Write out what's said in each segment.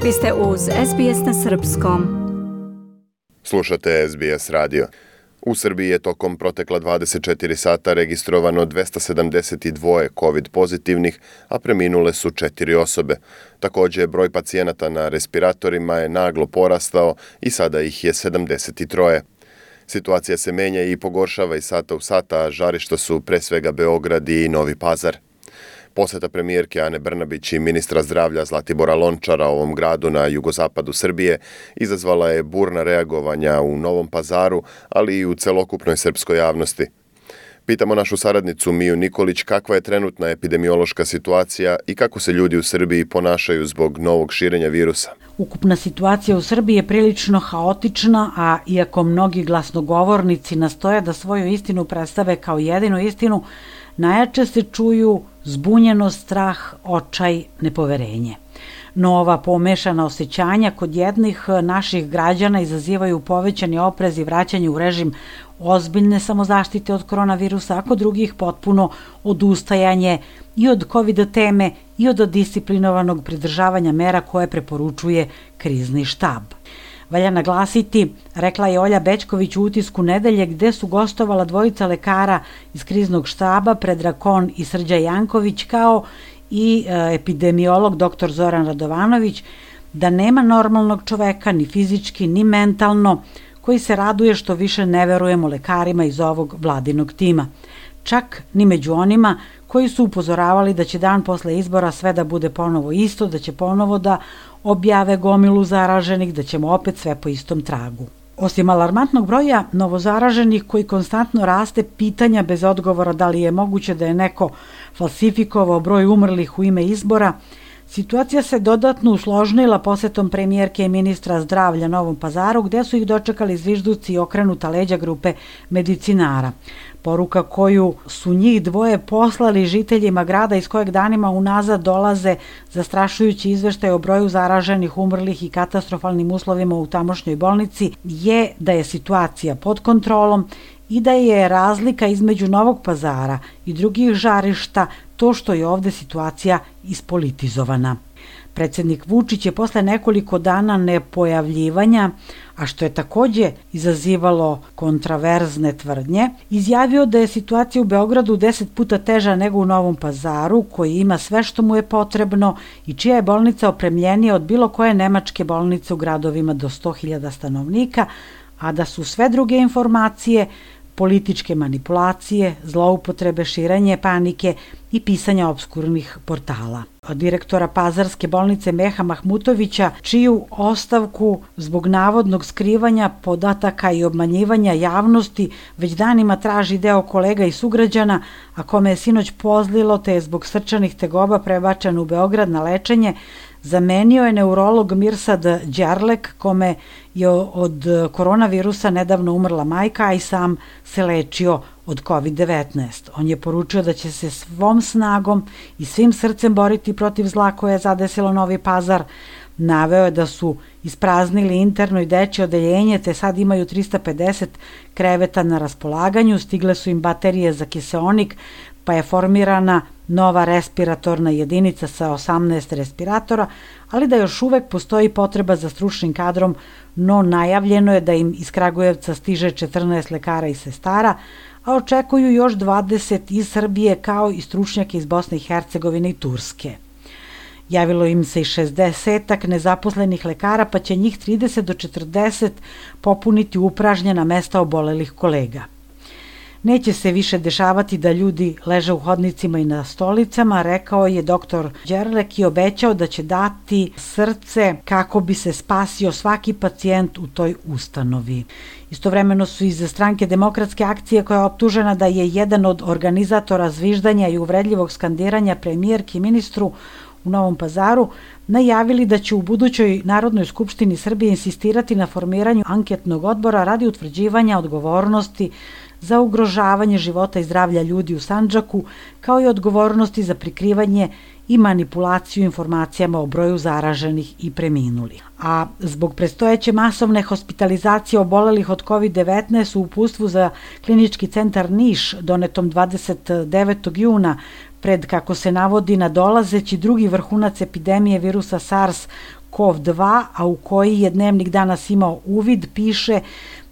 Vi ste uz SBS na srpskom. Slušate SBS radio. U Srbiji je tokom protekla 24 sata registrovano 272 COVID pozitivnih, a preminule su 4 osobe. Također, broj pacijenata na respiratorima je naglo porastao i sada ih je 73. Situacija se menja i pogoršava iz sata u sata, a žarišta su pre svega Beograd i Novi Pazar. Poseta premijerke Ane Brnabić i ministra zdravlja Zlatibora Lončara ovom gradu na jugozapadu Srbije izazvala je burna reagovanja u Novom Pazaru, ali i u celokupnoj srpskoj javnosti. Pitamo našu saradnicu Miju Nikolić kakva je trenutna epidemiološka situacija i kako se ljudi u Srbiji ponašaju zbog novog širenja virusa. Ukupna situacija u Srbiji je prilično haotična, a iako mnogi glasnogovornici nastoje da svoju istinu predstave kao jedinu istinu, najjače se čuju zbunjenost, strah, očaj, nepoverenje. No ova pomešana osjećanja kod jednih naših građana izazivaju povećani oprez i vraćanje u režim ozbiljne samozaštite od koronavirusa, a kod drugih potpuno odustajanje i od COVID teme i od disciplinovanog pridržavanja mera koje preporučuje krizni štab. Valja naglasiti, rekla je Olja Bećković u Utisku nedelje, gde su gostovala dvojica lekara iz kriznog štaba, Predrag Kon i Srđan Janković, kao i epidemiolog dr. Zoran Radovanović, da nema normalnog čoveka, ni fizički, ni mentalno, koji se raduje što više ne verujemo lekarima iz ovog vladinog tima. Čak ni među onima koji su upozoravali da će dan posle izbora sve da bude ponovo isto, da će ponovo da objave gomilu zaraženih, da ćemo opet sve po istom tragu. Osim alarmantnog broja novozaraženih koji konstantno raste, pitanja bez odgovora da li je moguće da je neko falsifikovao broj umrlih u ime izbora, situacija se dodatno usložnila posetom premijerke i ministra zdravlja Novom Pazaru, gde su ih dočekali zvižduci i okrenuta leđa grupe medicinara. Poruka koju su njih dvoje poslali žiteljima grada iz kojeg danima unazad dolaze zastrašujući izveštaj o broju zaraženih, umrlih i katastrofalnim uslovima u tamošnjoj bolnici je da je situacija pod kontrolom i da je razlika između Novog Pazara i drugih žarišta to što je ovde situacija ispolitizovana. Predsjednik Vučić je posle nekoliko dana nepojavljivanja, a što je također izazivalo kontraverzne tvrdnje, izjavio da je situacija u Beogradu 10 puta teža nego u Novom Pazaru, koji ima sve što mu je potrebno i čija je bolnica opremljenija od bilo koje nemačke bolnice u gradovima do 100.000 stanovnika, a da su sve druge informacije, političke manipulacije, zloupotrebe, širenje panike i pisanja obskurnih portala. Od direktora Pazarske bolnice Meha Mahmutovića, čiju ostavku zbog navodnog skrivanja podataka i obmanjivanja javnosti već danima traži deo kolega i sugrađana, a kome je sinoć pozlilo te je zbog srčanih tegoba prebačen u Beograd na lečenje, zamenio je neurolog Mirsad Đerlek, kome je od koronavirusa nedavno umrla majka, a i sam se lečio od COVID-19. On je poručio da će se svom snagom i svim srcem boriti protiv zla koje je zadesilo Novi Pazar. Naveo je da su ispraznili interno i dečje odeljenje, te sad imaju 350 kreveta na raspolaganju, stigle su im baterije za kiseonik, pa je formirana nova respiratorna jedinica sa 18 respiratora, ali da još uvek postoji potreba za stručnim kadrom, no najavljeno je da im iz Kragujevca stiže 14 lekara i sestara, a očekuju još 20 iz Srbije kao i stručnjake iz Bosne i Hercegovine i Turske. Javilo im se i 60 nezaposlenih lekara, pa će njih 30 do 40 popuniti upražnjena mesta obolelih kolega. Neće se više dešavati da ljudi leže u hodnicima i na stolicama, rekao je dr. Đerlek i obećao da će dati srce kako bi se spasio svaki pacijent u toj ustanovi. Istovremeno su iz stranke Demokratske akcije, koja je optužena da je jedan od organizatora zviždanja i uvredljivog skandiranja premijerki i ministru u Novom Pazaru, najavili da će u budućoj Narodnoj skupštini Srbije insistirati na formiranju anketnog odbora radi utvrđivanja odgovornosti za ugrožavanje života i zdravlja ljudi u Sandžaku, kao i odgovornosti za prikrivanje i manipulaciju informacijama o broju zaraženih i preminulih. A zbog predstojeće masovne hospitalizacije obolelih od COVID-19 u uputstvu za Klinički centar Niš donetom 29. juna pred, kako se navodi, nadolazeći drugi vrhunac epidemije virusa SARS, SARS-CoV-2, a u koji je Dnevnik danas imao uvid, piše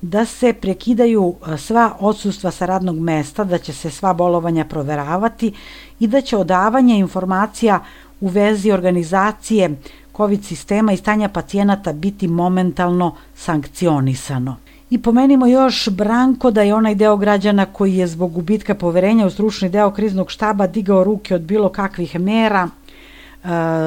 da se prekidaju sva odsustva sa radnog mesta, da će se sva bolovanja proveravati i da će odavanje informacija u vezi organizacije COVID sistema i stanja pacijenata biti momentalno sankcionisano. I pomenimo još, Branko, da je onaj deo građana koji je zbog gubitka poverenja u stručni deo kriznog štaba digao ruke od bilo kakvih mera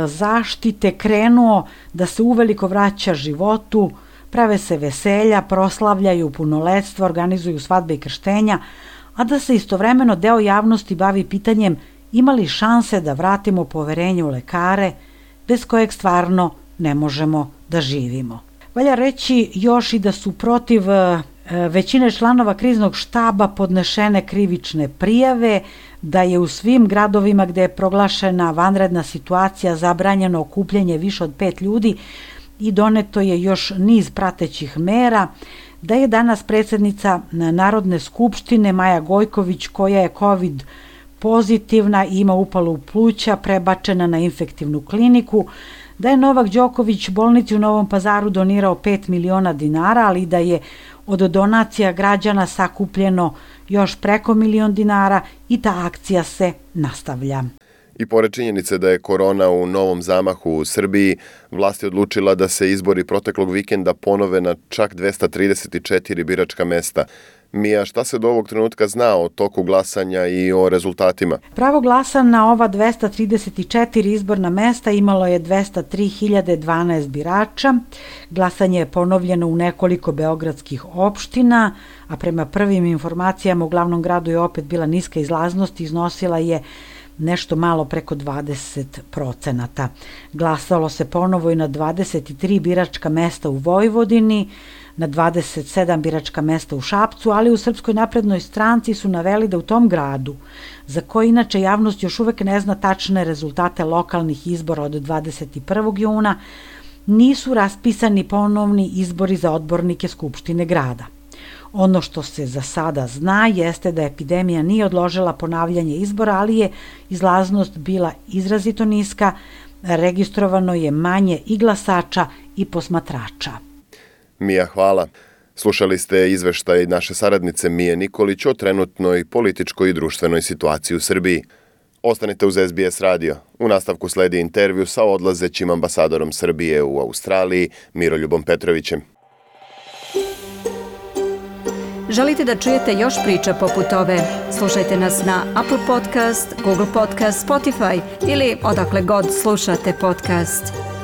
zaštite, krenuo da se uveliko vraća životu, prave se veselja, proslavljaju punoletstva, organizuju svadbe i krštenja, a da se istovremeno deo javnosti bavi pitanjem ima li šanse da vratimo poverenje u lekare, bez kojeg stvarno ne možemo da živimo. Valja reći još i da su protiv većine članova kriznog štaba podnešene krivične prijave, da je u svim gradovima gde je proglašena vanredna situacija zabranjeno okupljanje više od 5 ljudi i doneto je još niz pratećih mera, da je danas predsjednica Narodne skupštine Maja Gojković, koja je COVID pozitivna i ima upalu pluća, prebačena na infektivnu kliniku, da je Novak Đoković bolnici u Novom Pazaru donirao 5 miliona dinara, ali da je od donacija građana sakupljeno još preko 1 milion dinara i ta akcija se nastavlja. I pored činjenice da je korona u novom zamahu u Srbiji, vlast je odlučila da se izbori proteklog vikenda ponove na čak 234 biračka mesta. Mija, šta se do ovog trenutka zna o toku glasanja i o rezultatima? Pravo glasa na ova 234 izborna mesta imalo je 203.012 birača. Glasanje je ponovljeno u nekoliko beogradskih opština, a prema prvim informacijama u glavnom gradu je opet bila niska izlaznost i iznosila je nešto malo preko 20%. Glasalo se ponovo i na 23 biračka mesta u Vojvodini, na 27 biračka mesta u Šapcu, ali u Srpskoj naprednoj stranci su naveli da u tom gradu, za koji inače javnost još uvek ne zna tačne rezultate lokalnih izbora od 21. juna, nisu raspisani ponovni izbori za odbornike Skupštine grada. Ono što se za sada zna jeste da epidemija nije odložila ponavljanje izbora, ali je izlaznost bila izrazito niska, registrovano je manje i glasača i posmatrača. Mija, hvala. Slušali ste izveštaj naše saradnice Mije Nikolić o trenutnoj političkoj i društvenoj situaciji u Srbiji. Ostanite uz SBS radio. U nastavku sledi intervju sa odlazećim ambasadorom Srbije u Australiji, Miroljubom Petrovićem. Želite da čujete još priča poput ove? Slušajte nas na Apple Podcast, Google Podcast, Spotify ili odakle god slušate podcast.